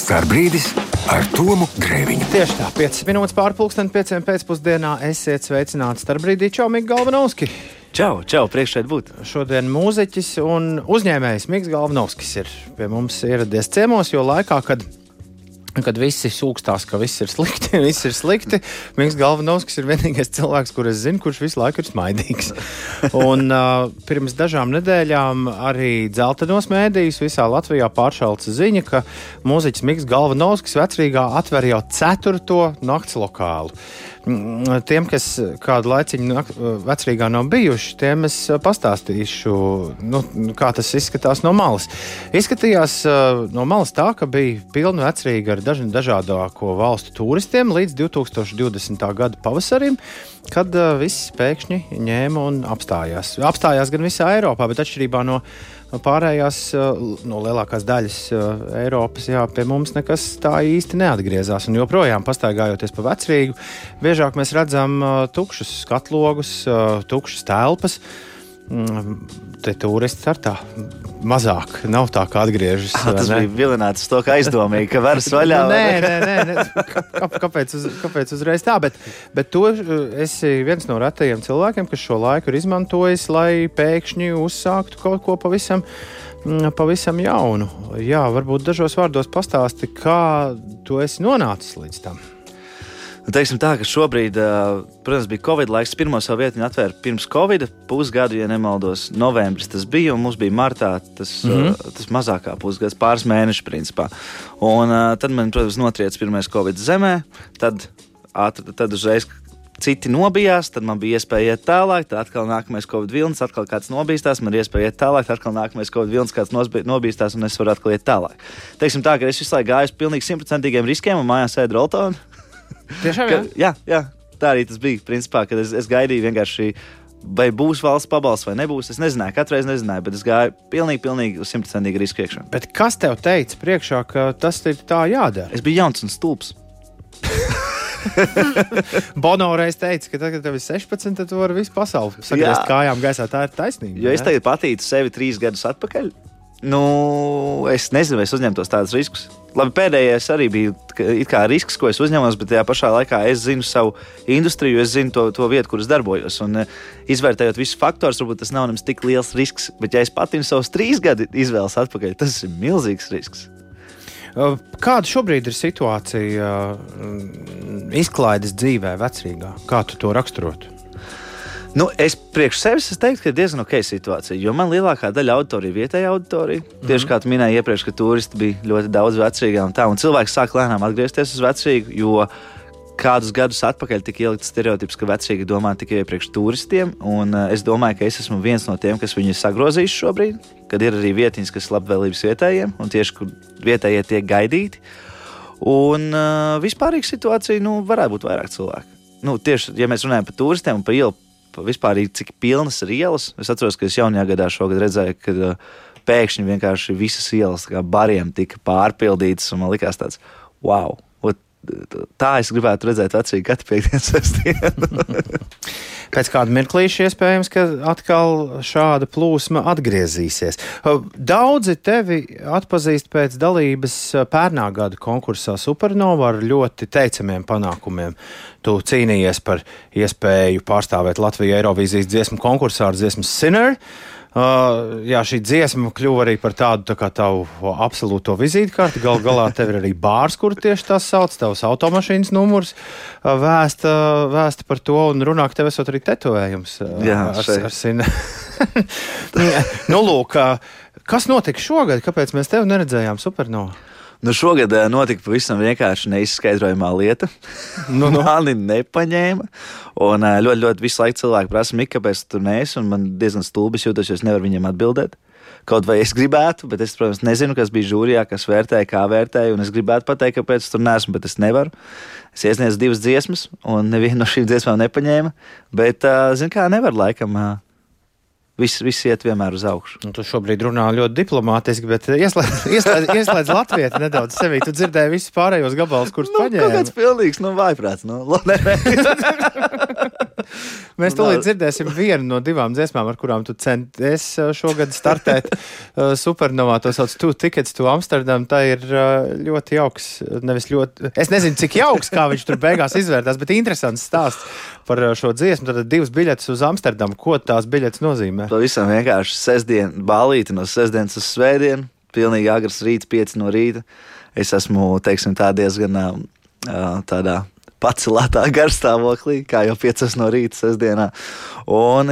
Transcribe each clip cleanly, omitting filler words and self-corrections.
Starbrīdis ar Tomu Grēviņu. Tieši tā, 5 minūtes pār pulksteni 5 pēcpusdienā. Esiet sveicināti Starbrīdī. Čau, Miks Galvanovski. Čau, priekš šeit būt. Šodien mūziķis un uzņēmējs Miks Galvanovskis ir pie mums ieradies ciemos, jo laikā, kad visi sūkstās, ka viss ir slikti, Miks Galvanovskis ir vienīgais cilvēks, kur es zinu, kurš visu laiku ir smaidīgs. Un pirms dažām nedēļām arī dzeltenos mēdījos visā Latvijā pāršalca ziņa, ka mūziķis Miks Galvanovskis Vecrīgā atver jau 4. naktslokālu. Tiem, kas kādu laiciņu Vecrīgā nav bijuši, tiem es pastāstīšu, kā tas izskatās no malas. Izskatījās no malas tā, ka bija pilna Vecrīga ar dažādāko valstu turistiem līdz 2020. gada pavasarim, kad viss pēkšņi ņēma un apstājās. Apstājās gan visā Eiropā, bet atšķirībā no pārējās, no lielākās daļas Eiropas, pie mums nekas tā īsti neatgriezās. Un joprojām pastaigājoties pa Vecrīgu, biežāk mēs redzam tukšus skatlogus, tukšas telpas. Te turisti ar tā mazāk, nav tā, kā atgriežas. Tas bija vilināts to, ka aizdomīgi, ka varas vaļā. Nē. Kāpēc uzreiz tā? Bet tu esi viens no retajiem cilvēkiem, kas šo laiku ir izmantojis, lai pēkšņi uzsāktu kaut ko pavisam jaunu. Jā, varbūt dažos vārdos pastāsti, kā tu esi nonācis līdz tam. Teiksim tā, ka šobrīd, protams, bija Covid laiks. Pirmo savu vietiņu atvēra pirms Covida, pusgadu, ja nemaldos, novembris tas bija, un mums bija martā tas mazākā pusgads, pāris mēneši principā. Un tad man, protams, notriec pirmais Covid zemē, tad uzreiz citi nobijās, tad man bija iespēja iet tālāk, tad atkal nākamais Covid vilnis, atkal kāds nobīstās, man ir iespēja iet tālāk, tad atkal nākamais Covid vilnis, kāds nobīstās, un es varu atkal iet tālāk. Teiksim tā, ka es visu laiku gāju uz pilnīgi 100% riskiem un mājās ēdu roltonu. Tiešām, jā, tā arī tas bija, principā, kad es gaidīju vienkārši, vai būs valsts pabalsts vai nebūs. Es nezināju, katreiz nezināju, bet es gāju pilnīgi uz 100% risku iekšā. Bet kas tev teica priekšā, ka tas ir tā jādara? Es biju jauns un stulbs. Bono reiz teica, ka tagad tev ir 16, tad tu vari visu pasauli sagriezt kājām gaisā. Tā ir taisnība. Jo es tagad patītu sevi 3 gadus atpakaļ. Es nezinu, vai es uzņemtos tādus riskus. Labi, pēdējais arī bija it kā risks, ko es uzņemos, bet tajā pašā laikā es zinu savu industriju, es zinu to vietu, kur es darbojos. Un izvērtējot visus faktorus, varbūt tas nav nemaz tik liels risks, bet ja es patinu savus 3 gadu izvēles atpakaļ, tas ir milzīgs risks. Kāda šobrīd ir situācija izklaides dzīvē Vecrīgā? Kā tu to raksturotu? Es priekš sevis teiktu, ka ir diezgan ok situācija, jo man lielākā daļa auditorija ir vietējā auditorija. Tieši kā tu minēji iepriekš, ka turisti bija ļoti daudz Vecrīgā un tā, un cilvēki sāk lēnām atgriezties uz Vecrīgu, jo kādus gadus atpakaļ tika ielikts stereotips, ka Vecrīga domā tikai priekš turistiem, un es domāju, ka es esmu viens no tiem, kas viņu ir sagrozījis šobrīd, kad ir arī vietiņas, kas labvēlības vietējiem, un tieši, kur vietējie tiek gaidīti. Un vispārīga situācija, varētu būt vairāk cilvēku. Tieši, ja mēs runājam par turistiem un par ielu, vispār cik pilnas ir ielas. Es atceros, ka es jaunajā gadā šogad redzēju, ka pēkšņi vienkārši visas ielas bariem tika pārpildītas, un man likās tāds, wow, tā es gribētu redzēt Vecrīgu katru piektdienas sestdienu. Pēc kāda mirklīša iespējams, ka atkal šāda plūsma atgriezīsies. Daudzi tevi atpazīst pēc dalības pērnā gada konkursā Supernova ar ļoti teicamiem panākumiem. Tu cīnījies par iespēju pārstāvēt Latviju Eirovīzijas dziesmu konkursā ar dziesmu Sinner. Šī dziesma kļuva arī par tādu tā kā tavu absolūto vizītkarti. Galā tev ir arī bārs, kur tieši tas sauc, tavs automašīnas numurs vēsta par to, un runā, ka tev esot arī tetovējums ar Sinner. Lūk, kas notika šogad? Kāpēc mēs tevi neredzējām Supernova? Šogad notika pavisam vienkārši neizskaidrojamā lieta. Mani nepaņēma. Un ļoti visu laiku cilvēki prasa, Mika, kāpēc tu tur neesi? Un man diezgan stulbis jūtos, jo es nevaru viņiem atbildēt. Kaut vai es gribētu, bet es, protams, nezinu, kas bija žūrijā, kas vērtēja, kā vērtēja. Un es gribētu pateikt, kāpēc tur neesmu, bet es nevaru. Es iesniedzu 2 dziesmas, un nevienu no šīm dziesmām nepaņēma. Bet, nevar laikam Viss iet vienmēr uz augšu. Tu šobrīd runā ļoti diplomātiski, bet ieslēdz latvieti nedaudz sevī. Tu dzirdēji visus pārējos gabalus, kurus paņēmi. Kaut kāds pilnīgs, vājprāts. Mēs tūlīt dzirdēsim vienu no 2 dziesmām, ar kurām tu centies šogad startēt Supernovā. To sauc Two Tickets to Amsterdam. Tā ir ļoti jauks, nevis ļoti... Es nezinu, cik jauks, kā viņš tur beigās izvērtās, bet interesants stāsts par šo dziesmu. Tad 2 biļetes uz Amsterdamu. Ko tās biļetes nozīmē? Pavisam vienkārši sestdien bālīti no sestdienas uz svētdienu. Pilnīgi agrs rīts, 5 no rīta. Es esmu, teiksim, tā diezgan tādā pacelētā garstāvoklī, kā jau 5 no rīta sestdienā. Un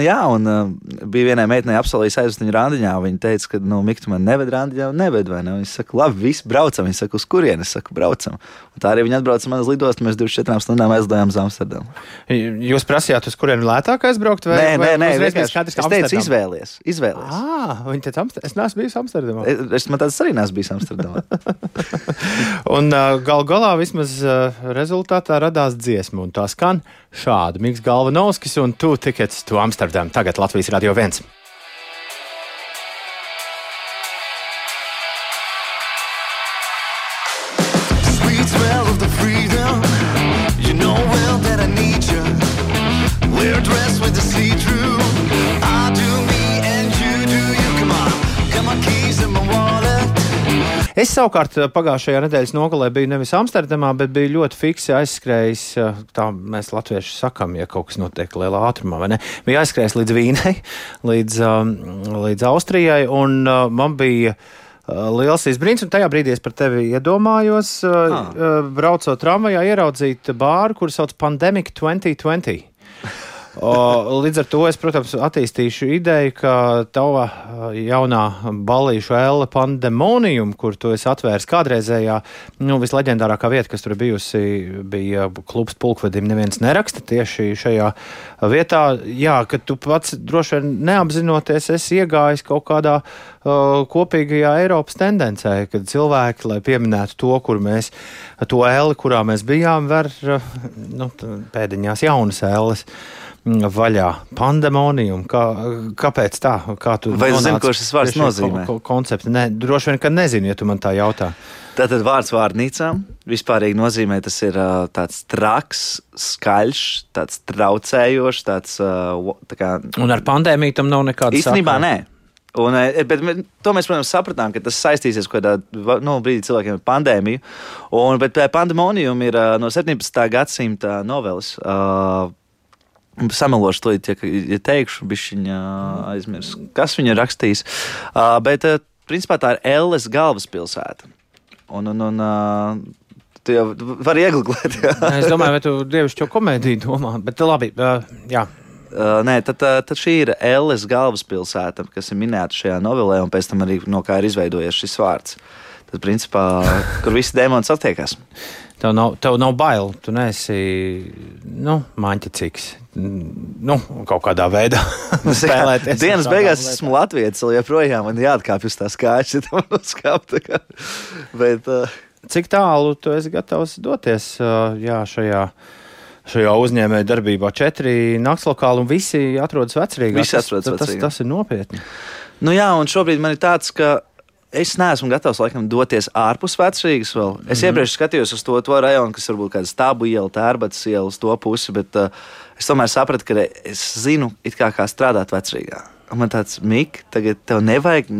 bija vienai meitenei apsolījis aizvest viņu randiņā. Viņa teica, ka, Mik, tu man neved randiņā, neved, vai ne? Viņa saka, labi, visi braucam. Viņa saka, uz kurieni? Es saku, braucam. Un tā arī viņa atbrauca man uz lidostu, mēs 24 stundām aizlidojām uz Amsterdamu. Jūs prasījāt, uz kurieni lētāk aizbraukt? Nē, es teicu, izvēlies. Viņa teica, es neesmu bijis Amsterdamā. Man tāds arī neesmu bijis Amsterdamā. Un galā vismaz rezultātā radās dziesma, un tā skan šādi. Miks Galvanovskis un Two Tickets to Amsterdam. Tagad Latvijas Radio 1. Sweet smell of the freedom. You know well that I need you. We're dressed with the see-through. I do me and you do you. Come on, got my keys in my wallet. Es savukārt pagājušajā nedēļas nogalē biju nevis Amsterdamā, bet biju ļoti fiksi aizskrējis, tā mēs latvieši sakam, ja kaut kas notiek lielā ātrumā, vai ne? Biju aizskrējis līdz Vīnei, līdz Austrijai, un man bija liels izbrīns, un tajā brīdī es par tevi iedomājos, braucot tramvajā, ieraudzīt bāru, kuru sauc Pandemic 2020. Līdz ar to es, protams, attīstīšu ideju, ka tava jaunā ballīšu elle Pandemonium, kur tu esi atvērs kādreizējā, visleģendārākā vieta, kas tur bijusi, bija klubs Pulkvedim neviens neraksta tieši šajā vietā. Jā, ka tu pats droši vien neapzinoties esi iegājis kaut kādā kopīgajā Eiropas tendencē, kad cilvēki, lai pieminētu to, to elli, kurā mēs bijām, ver pēdiņās jaunas elles vaļā. Pandemonium. Kāpēc tā? Kā tu vai es zinu, ko šis vārds nozīmē? Koncepti. Nē, droši vien, ka nezinu, ja tu man tā jautā. Tātad vārds vārnīcām vispārīgi nozīmē, tas ir tāds traks, skaļš, tāds traucējošs, tāds tā kā... Un ar pandēmiju tam nav nekāda īstenībā nē. Bet to mēs, protams, sapratām, ka tas saistīsies kādā brīdī cilvēkiem ar pandēmiju. Bet Pandemonium ir no 17. gadsimta noveles. Samelošu to, ja teikšu, bišķiņa aizmirs, kas viņa rakstījis. Bet, principā, tā ir Elles galvaspilsēta. Un tu jau vari iegooglēt. Es domāju, vai tu dievišķo komēdiju domā, bet labi, jā. Nē, tad šī ir Elles galvaspilsēta, kas ir minēta šajā novelē, un pēc tam arī no kā ir izveidojies šis vārds. Tad, principā, kur visi dēmoni satiekās. Tev nav bail, tu neesi, maņķicīgs, kaut kādā veidā spēlēties. Dienas beigās esmu latvietis, vēl joprojām man jāatkāpj uz tās kājas, ja tam uzkāp. Bet... Cik tālu tu esi gatavs doties šajā uzņēmēja darbībā? 4 naktslokāli un visi atrodas Vecrīgā. Tas ir nopietni. Jā, un šobrīd man ir tāds, ka es neesmu gatavs, laikam, doties ārpus Vecrīgas vēl. Es iepriekš skatījos uz to rajonu, kas varbūt kāda Stābu iela, Tērbatas iela uz to pusi, bet es tomēr sapratu, ka es zinu, kā strādāt Vecrīgā. Un man tāds, Mik, tagad tev nevajag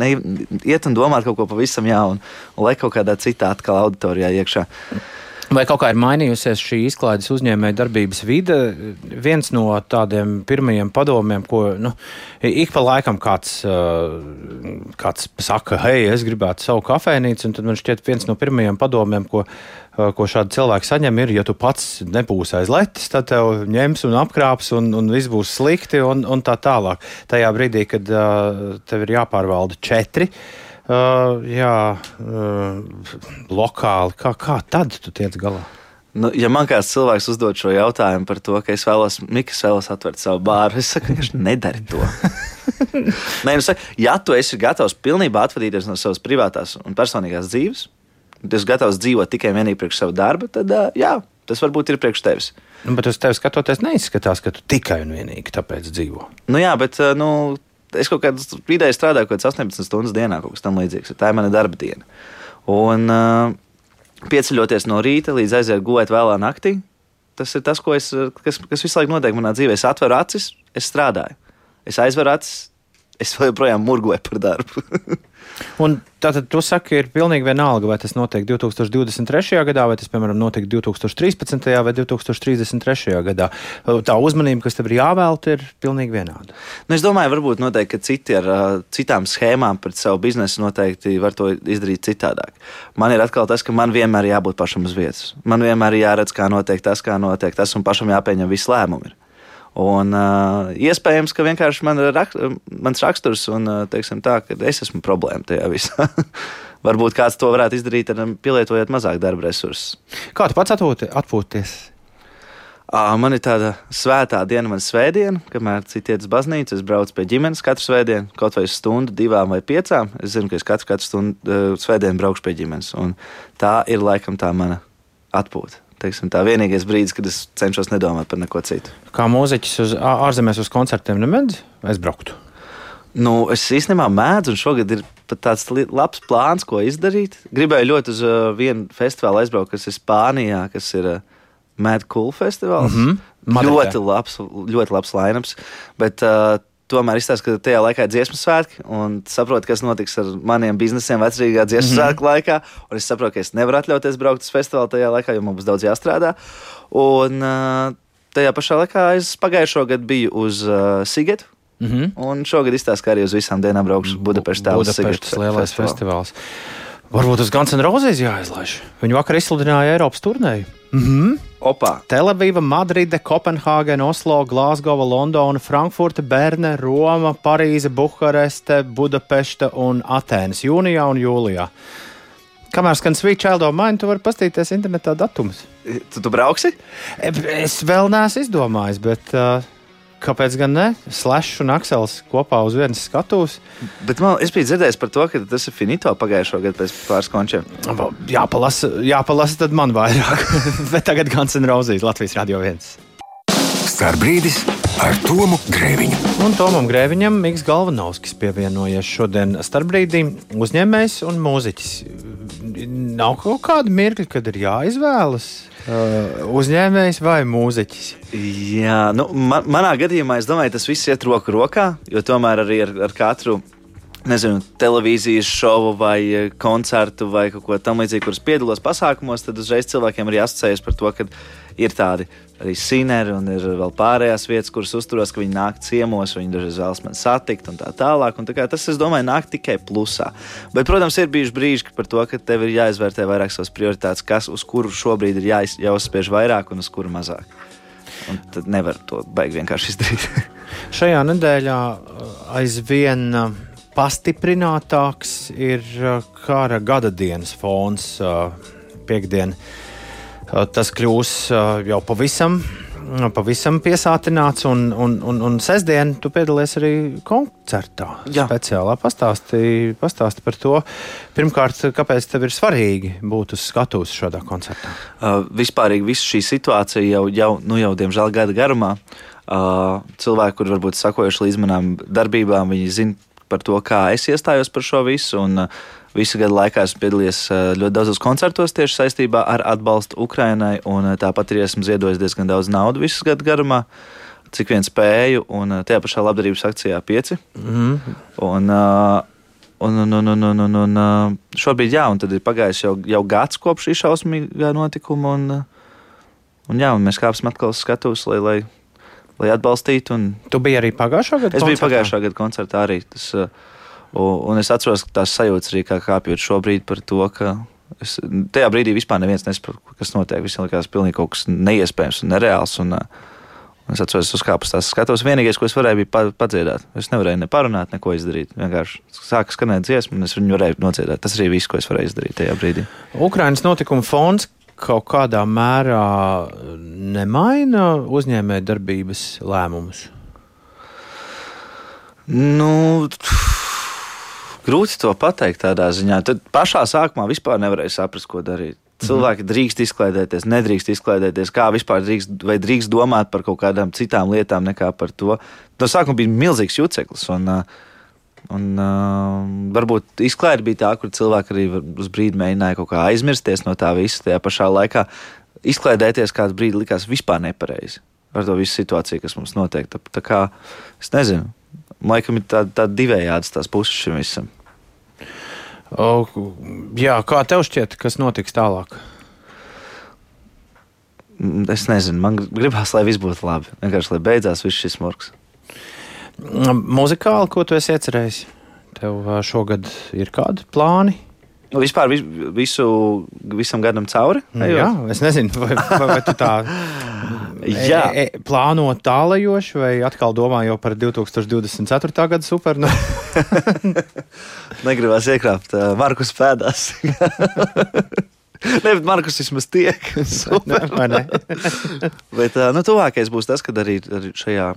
iet un domāt kaut ko pavisam jaunu, un lai kaut kādā citā atkal auditorijā iekšā. Vai kaut kā ir mainījusies šī izklaides uzņēmēja darbības vide? Viens no tādiem pirmajiem padomiem, ko ik pa laikam kāds saka, hei, es gribētu savu kafejnīcu, un tad man šķiet viens no pirmajiem padomiem, ko šādi cilvēki saņem, ir, ja tu pats nebūsi aiz letes, tad tev ņems un apkrāps, un viss būs slikti, un tā tālāk. Tajā brīdī, kad tev ir jāpārvalda 4, lokāli. Kā tad tu tiec galā? Ja man kāds cilvēks uzdod šo jautājumu par to, ka es vēlos atvērt savu bāru, es saku, ka nedari to. Nē, ja tu esi gatavs pilnībā atvadīties no savas privātās un personīgās dzīves, tu esi gatavs dzīvot tikai vienīgi priekš savu darbu, tad tas varbūt ir priekš tevis. Bet uz tevi skatoties neizskatās, ka tu tikai un vienīgi tāpēc dzīvo. Jā, bet es kaut kādā vidēji strādāju kaut kāds 18 stundas dienā, kaut kas tam līdzīgs. Tā ir mana darba diena. Un pieceļoties no rīta līdz aiziet gulēt vēlā naktī, tas ir tas, kas visu laiku notiek manā dzīvē. Es atveru acis, es strādāju. Es aizveru acis, es vēl joprojām murgoju par darbu. Un tātad tu saki, ir pilnīgi vienalga, vai tas notiek 2023. gadā, vai tas, piemēram, notiek 2013. vai 2033. gadā. Tā uzmanība, kas tev ir jāvēlta, ir pilnīgi vienāda. Nu, es domāju, varbūt noteikti, ka citi ar citām schēmām pret savu biznesu noteikti var to izdarīt citādāk. Man ir atkal tas, ka man vienmēr jābūt pašam uz vietas. Man vienmēr jāredz, kā notiek tas, un pašam jāpieņem visi lēmumi. Un iespējams, ka vienkārši mans raksturs un teiksim tā, ka es esmu problēma tajā visā. Varbūt kāds to varētu izdarīt, pielietojot mazāk darba resursus. Kā tu pats atpūties? Man ir tāda svētā diena, man svētdiena, kamēr citi iet uz baznīcu, es braucu pie ģimenes katru svētdienu, kaut vai stundu, 2 vai 5. Es zinu, ka es katru stundu svētdienu braukšu pie ģimenes. Un tā ir laikam tā mana atpūta. Tā vienīgais brīdis, kad es cenšos nedomāt par neko citu. Kā mūziķis ārzemēs uz koncertiem nemēdz aizbrauktu? Nu, es īstenībā mēdzu, un šogad ir pat tāds labs plāns, ko izdarīt. Gribēju ļoti uz vienu festivālu aizbraukt, kas ir Spānijā, kas ir Mad Cool festivāls. Ļoti labs line-ups, bet tomēr izstāsta, ka tajā laikā ir dziesmu svētki, un saprotu, kas notiks ar maniem biznesiem vecrīgā dziesmu svētku laikā, un es saprotu, ka es nevaru atļauties braukt uz festivālu tajā laikā, jo man būs daudz jāstrādā. Un tajā pašā laikā es pagājušo gadu biju uz Sigetu, un šogad izstāsta, ka arī uz visām dienām braukšu Budapeštā uz Sigetu. Budapeštas lielais festivāls. Varbūt uz Guns N' Roses jāizlaiž. Viņi vakar izsludināja Eiropas turnēju. Opā. Tel-Aviva, Madride, Kopenhāgena, Oslo, Glāzgova, Londona, Frankfurte, Berne, Roma, Parīze, Bukareste, Budapešta un Atēnas jūnijā un jūlijā. Kamēr skan Sweet Child of Mine, tu vari pastīties internetā datumus. Tu brauksi? Es vēl neesmu izdomājis, bet kāpēc gan ne? Slash un Aksels kopā uz vienas skatuves. Bet es biju dzirdējis par to, ka tas ir finito pagājušo gadu pēc pāris končiem. Jāpalasa tad man vairāk. Bet tagad Guns N' Roses, Latvijas Radio 1. Starbrīdis ar Tomu Grēviņu. Un Tomam Grēviņam Miks Galvanovskis pievienojies šodien starpbrīdī, uzņēmējs un mūziķis. Nav kaut kāda mirkļa, kad ir jāizvēlas uzņēmējs vai mūziķis? Jā, nu, manā gadījumā es domāju, tas viss iet roku rokā, jo tomēr arī ar katru, nezinu, televīzijas šovu vai koncertu vai kaut ko tam līdzīgi, kuras piedalos pasākumos, tad uzreiz cilvēkiem arī asociējas par to, ka ir tādi arī sineri un ir vēl pārējās vietas, kuras uzturos, ka viņi nāk ciemos, viņi dažreiz vēlas man satikt un tā tālāk. Un tā kā tas, es domāju, nāk tikai plusā. Bet, protams, ir bijuši brīži par to, ka tev ir jāizvērtē vairāk savas prioritātes, uz kuru šobrīd ir jāuzspiež vairāk un uz kuru mazāk. Un tad nevar to baigi vienkārši izdarīt. Šajā nedēļā aizvien pastiprinātāks ir kara gada dienas fons piektdien. Tas kļūs jau pavisam piesātināts, un sestdien tu piedalies arī koncertā. Jā. Speciālā pastāsti par to. Pirmkārt, kāpēc tev ir svarīgi būt uz skatuves šādā koncertā? Vispārīgi visu šī situācija jau diemžēl gada garumā. Cilvēki, kuri varbūt sakojuši līdz manām darbībām, viņi zina par to, kā es iestājos par šo visu, un visu gadu laikā esmu piedalījies ļoti daudzos koncertos tieši saistībā ar atbalstu Ukrainai, un tāpat arī esmu ziedojis diezgan daudz naudu visu gadu garumā, cik vien spēju, un tajā pašā labdarības akcijā 5. Un šobrīd un tad ir pagājis jau gads kopš šī šausmīgā notikuma, un mēs kāpsim atkal uz skatuves, lai atbalstītu. Tu biji arī pagājušā gada koncertā? Es biju pagājušā gada koncertā arī. Un es atceros, ka tās sajūtas arī kā kāpjot šobrīd par to, ka tajā brīdī vispār neviens nesaprot, kas notiek. Visiem likās pilnīgi kaut kas neiespējams un nereāls. Un es atceros, es uzkāpu uz tās skatuves. Vienīgais, ko es varēju, bija padziedāt. Es nevarēju ne parunāt, neko izdarīt. Vienkārši sāka skanēt dziesmu, un es viņu varēju nodziedāt. Tas arī viss, ko es varēju izdarīt tajā brīdī. Ukrainas notikuma fons kaut kādā mērā nemaina uzņēmēju darbības lēmumus? Grūti to pateikt tādā ziņā. Tad pašā sākumā vispār nevarēja saprast, ko darīt. cilvēki drīkst izklaidēties, nedrīkst izklaidēties, kā vispār drīkst domāt par kaut kādām citām lietām nekā par to. No sākuma bija milzīgs juceklis, un varbūt izklaide bija tā, kur cilvēki arī uz brīdi mēģināja kaut kā aizmirsties no tā visa. Tajā pašā laikā izklaidēties kāds brīdi likās vispār nepareizi ar to visu situāciju, kas mums notiek. Tā kā, es nezinu, laikam ir tā divējādas tās puses šim visam. Jā, kā tev šķiet, kas notiks tālāk? Es nezinu, man gribās, lai viss būtu labi. Vienkārši, lai beidzās viss šis smurks. Muzikāli, ko tu esi iecerējis? Tev šogad ir kādi plāni? Vispār visam gadam cauri? Jā, es nezinu, vai tu tā plāno tālajoši, vai atkal domā jau par 2024. gada super? Negribās iekrāpt Markus pēdās. Ne, bet Markus vismaz tiek. Super. Ne? Bet tuvākais būs tas, kad arī šajā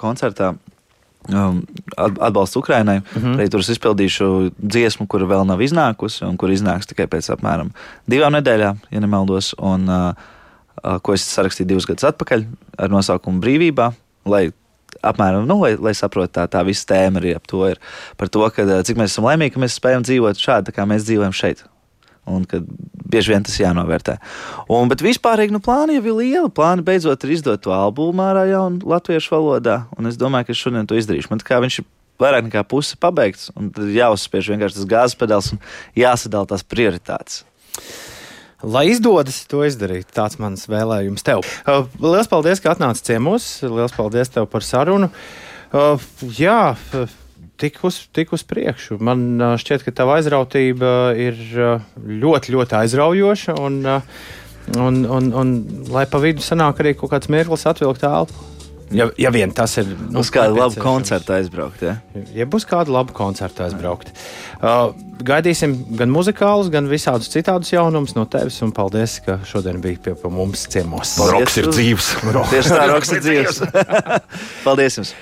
koncertā atbalsts Ukrainai. Arī tur es izpildīšu dziesmu, kura vēl nav iznākusi, un kur iznāks tikai pēc apmēram 2 nedēļām, ja nemaldos, un ko es sarakstīju 2 gadus atpakaļ ar nosaukumu Brīvībā, lai apmēram, lai saprotu tā visa tēma arī ap to ir par to, ka cik mēs esam laimīgi, ka mēs spējam dzīvot šādi, kā mēs dzīvojam šeit. Un ka bieži vien tas jānovērtē. Bet vispārīgi plāni jau ir lieli. Plāni beidzot ir izdot to albumu ārā jaunu latviešu valodā. Un es domāju, ka es šodien to izdarīšu. Man kā viņš ir vairāk nekā puse pabeigts. Un tad jāuzspiež vienkārši tas gāzes pedāls un jāsadala tās prioritātes. Lai izdodas to izdarīt, tāds mans vēlējums tev. Lielas paldies, ka atnāci ciemos. Lielas paldies tev par sarunu. Jā, tik uz priekšu. Man šķiet, ka tava aizrautība ir ļoti, ļoti aizraujoša, un lai pa vidu sanāk arī kaut kāds mirklis atvilkt elpu. Ja vien tas ir... Uz kādu labu koncertu aizbraukt, ja? Ja būs kādu labu koncertu aizbraukt. Gaidīsim gan muzikālus, gan visādus citādus jaunumus no tevis, un paldies, ka šodien bija pie mums ciemos. Roks ir dzīves. Tieši tā, roks ir dzīves. Paldies jums.